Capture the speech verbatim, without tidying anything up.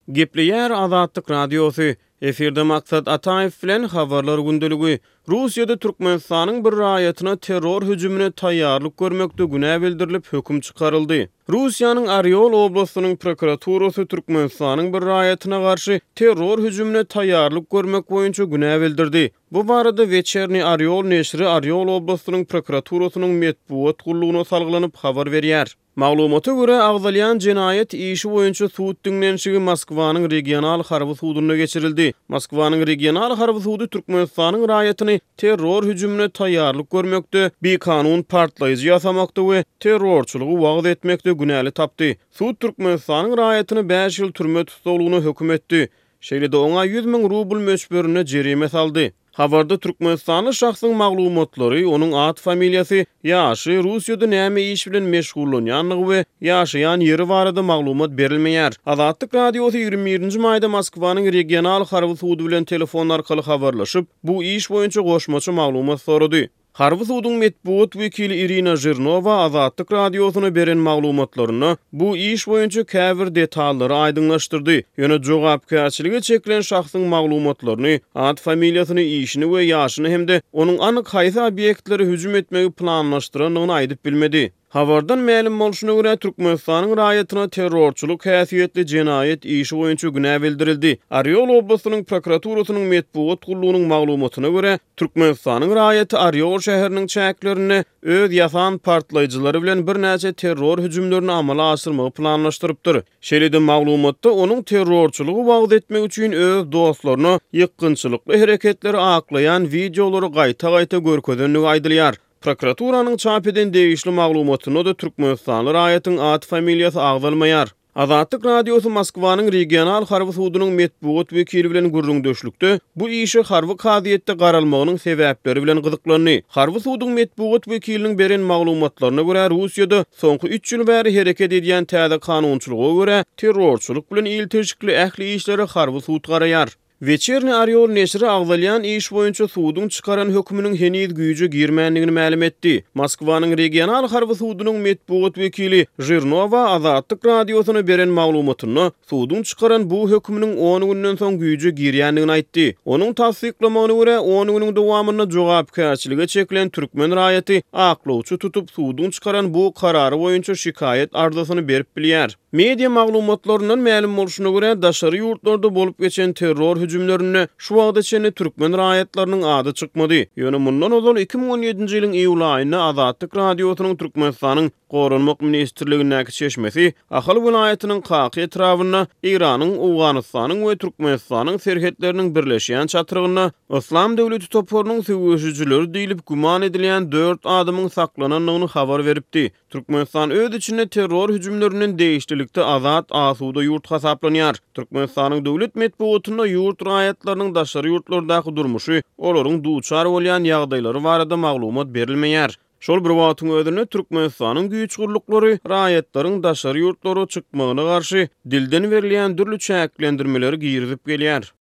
Gepleýär Azatlyk Radiosy. Efirde Maksat Ataýew bilen Habarlar gündeligi. Russiýada Türkmenistanyň bir raýatyna terror hüjümine taýýarlyk görmekde günä bildirilip, höküm çykaryldy. Russiýanyň Orýol oblastynyň prokuraturasy Türkmenistanyň bir raýatyna garşy terror hüjümine taýýarlyk görmek boýunça günä bildirdi. Bu barada Weçerniý Orýol neşiri Orýol oblastynyň prokuraturasynyň metbugat gullugyna salgylanyp habar berýär. Maglumata görä, agzalýan jenaýat işi boýunça sud diňlenişigi Moskwanyň regional harby sudunda geçirildi. Moskwanyň regional harby sudy Türkmenistanyň raýatyny terror hüjümine taýýarlyk görmekde, bikanun partlaýjy ýasamakda we terrorçylygy wagyz etmekde günäli tapdy. Sud Türkmenistanyň raýatyny bäş ýyl türme tussaglygyna höküm etdi. Şeýle-de oňa ýüz müň rubl möçberinde jerime saldy. Habarda türkmenistanly şahsyň maglumatlary, onuň at-familiýasy, ýaşy, Russiýada näme iş bilen meşgullanýandygy we ýaşaýan ýeri barada maglumat berilmeýär. Azatlyk Radiosy ýigrimi birinji maýda Moskwanyň regional harby sudy bilen telefon arkaly habarlaşyp, bu iş boýunça goşmaça maglumat sorady. Harby suduň metbugat wekili Irina Žirnowa Azatlyk Radiosyna beren maglumatlarynda bu iş boýunça käbir detallary aýdyňlaşdyrdy. Ýöne jogapkärçilige çekilen şahsyň maglumatlaryny, at-familiýasyny, işini we ýaşyny hem-de onuň anyk haýsy obýektlere hüjüm etmegi planlaşdyrandygyny aýdyp bilmedi. Habardan mälim bolşuna görä, Türkmenistanyň raýatyna terrorçylyk häsiýetli jenaýat işi boýunça günä bildirildi. Orýol oblastynyň prokuraturasynyň metbugat gullugynyň maglumatyna görä, Türkmenistanyň raýaty Orýol şäheriniň çäklerinde öz ýasan partlaýjylary bilen birnäçe terror hüjümlerini amala aşyrmagy planlaşdyrypdyr. Şeýle-de maglumatda onuň terrorçylygy wagyz etmek üçin öz dostlaryna ýykgynçylykly hereketleri aklaýan wideolary gaýta-gaýta görkezendigi aýdylýar. Prokuraturanyň çap eden degişli maglumatynda-da türkmenistanly raýatyň at-familiýasy agzalmaýar. Azatlyk Radiosy Moskwanyň regional harby sudunyň metbugat wekili bilen gürrüňdeşlikde bu işe harby kazyýetde garalmagynyň sebäpleri bilen gyzyklandy. Harby suduň metbugat wekiliniň beren maglumatlaryna görä, Russiýada soňky üç ýyl bäri hereket edýän täze kanunçylyga görä, terrorçylyk bilen ilteşikli ähli işlere harby sud garaýar. Weçerniý Orýol neşiri agzalýan iş boýunça suduň çykaran höküminiň heniz güýje girmändigini mälim etdi. Moskwanyň regional harby sudunyň metbugat wekili Žirnowa Azatlyk Radiosyna beren maglumatynda suduň çykaran bu höküminiň on günden soň güýje girýändigini aýtdy. Onuň tassyklamagyna görä, on günüň dowamynda jogapkärçilige çekilen türkmen raýaty aklawçy tutup, suduň çykaran bu karary boýunça şikaýat arzasyny berip bilýär. Media maglumatlaryndan mälim bolşuna görä, daşary ýurtlarda bolup geçen terror hüjümlerinde şu wagta çenli türkmen raýatlarynyň ady çykmady. Ýöne mundan ozal iki müň on ýedinji ýylyň iýul aýynda Azatlyk Radiosynyň Türkmenistanyň Goranmak ministrligindäki çeşmesi Ahal welaýatynyň Kaka etrabynda Eýranyň, Owganystanyň we Türkmenistanyň serhetleriniň birleşýän çatrygynda Yslam döwleti toparynyň söweşijileri diýlip güman edilýän dört adamyň saklanandygyny habar beripdi. Türkmenistan öz içinde terror hüjümlerinden degişlilikde azat, asuda ýurt hasaplanýar. Türkmenistanyň döwlet metbugatynda ýurt raýatlarynyň daşary ýurtlardaky durmuşy, olaryň duçar bolýan ýagdaýlary barada maglumat berilmeýär. Şol bir wagtyň özünde Türkmenistanyň güýç gulluklary raýatlaryň daşary ýurtlara çykmagyna garşy dilden berilýän dürli çäklendirmeleri girizip gelýär.